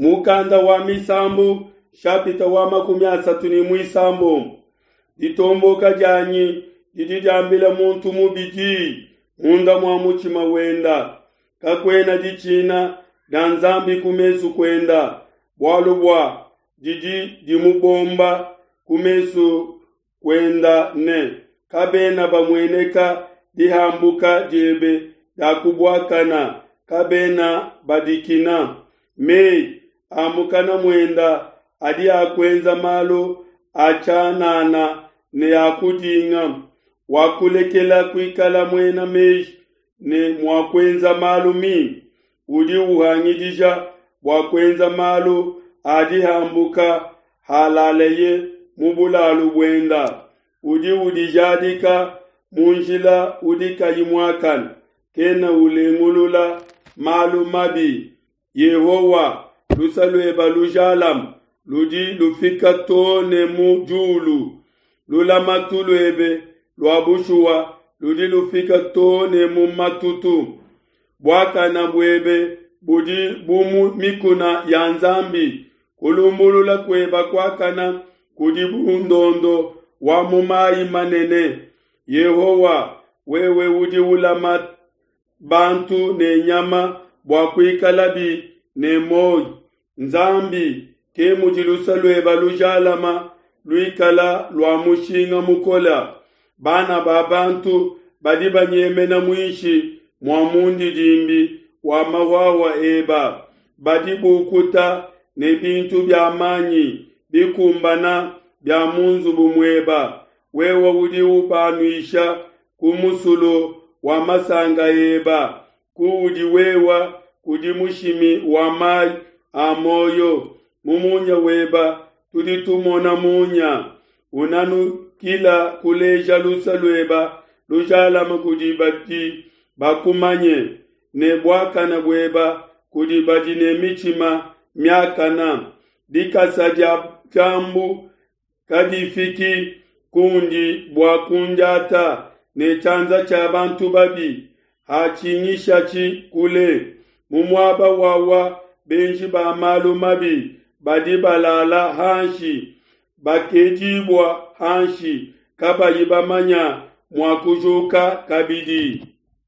Mukanda wa Misambu nshapita wa 36. Ditomboka dianyi didi diambila muntu mubi diyi munda mua mutshima wenda. Kakuena ditshina dia Nzambi ku mesu kuenda, bualu bua didi dimubomba ku mesu kuenda ne kabena bamueneka dihambuka diebe dia kubuakana, kabena badikina. Meyi a mukana muenda adi a kuenza malu a tshianana ne a kudinga. Wakulekela kuikala muena meji ne mua kuenza malu mimpe, udi uhangidija bua kuenza malu a dihambuka halaleye mu bulalu buenda. Udi udijadika mu njila udi kayi muakane, kena ulengulula malu mabi. Yehowa, luse luebe lujalame ludi lufika too ne mu diulu, lulamatu luebe lua bushuwa ludi lufika too ne mu matutu. Buakane buebe budi bu mu mikuna ya Nzambi, kulumbulula kuebe kuakane kudi bu ndondo wa mu mayi manene. Yehowa, wewe udi ulama bantu ne nyama bua kuikalabi ne muoyo. Nzambi, ke mudi luse luebe lujalama luikala lua mushinga mukole. Bana ba bantu badi banyemena muinshi mua mundidimbi wa mahuahua eba, badi bukuta ne bintu bia manyi bikumbana bia mu nzubu mueba. Wewe udi ubanuisha ku musulu wa masanka eba, kuudi wewa kudi mushimi wa mayi a muoyo. Mu munya weba tudi tumona munya, unanukila kuleja luse lueba lujalame kudi badi bakumanye, ne buakane bueba kudi badi ne mitshima miakane. Dikasa dia diambu kadifiki kundi bua kundiata, ne tshianza tshia bantu babi hatshingishatshi kule. Mu muaba wawa benji ba malu mabi badi balala hanshi, bakedibua hanshi, kabayi bamanya mua kujuka kabidi.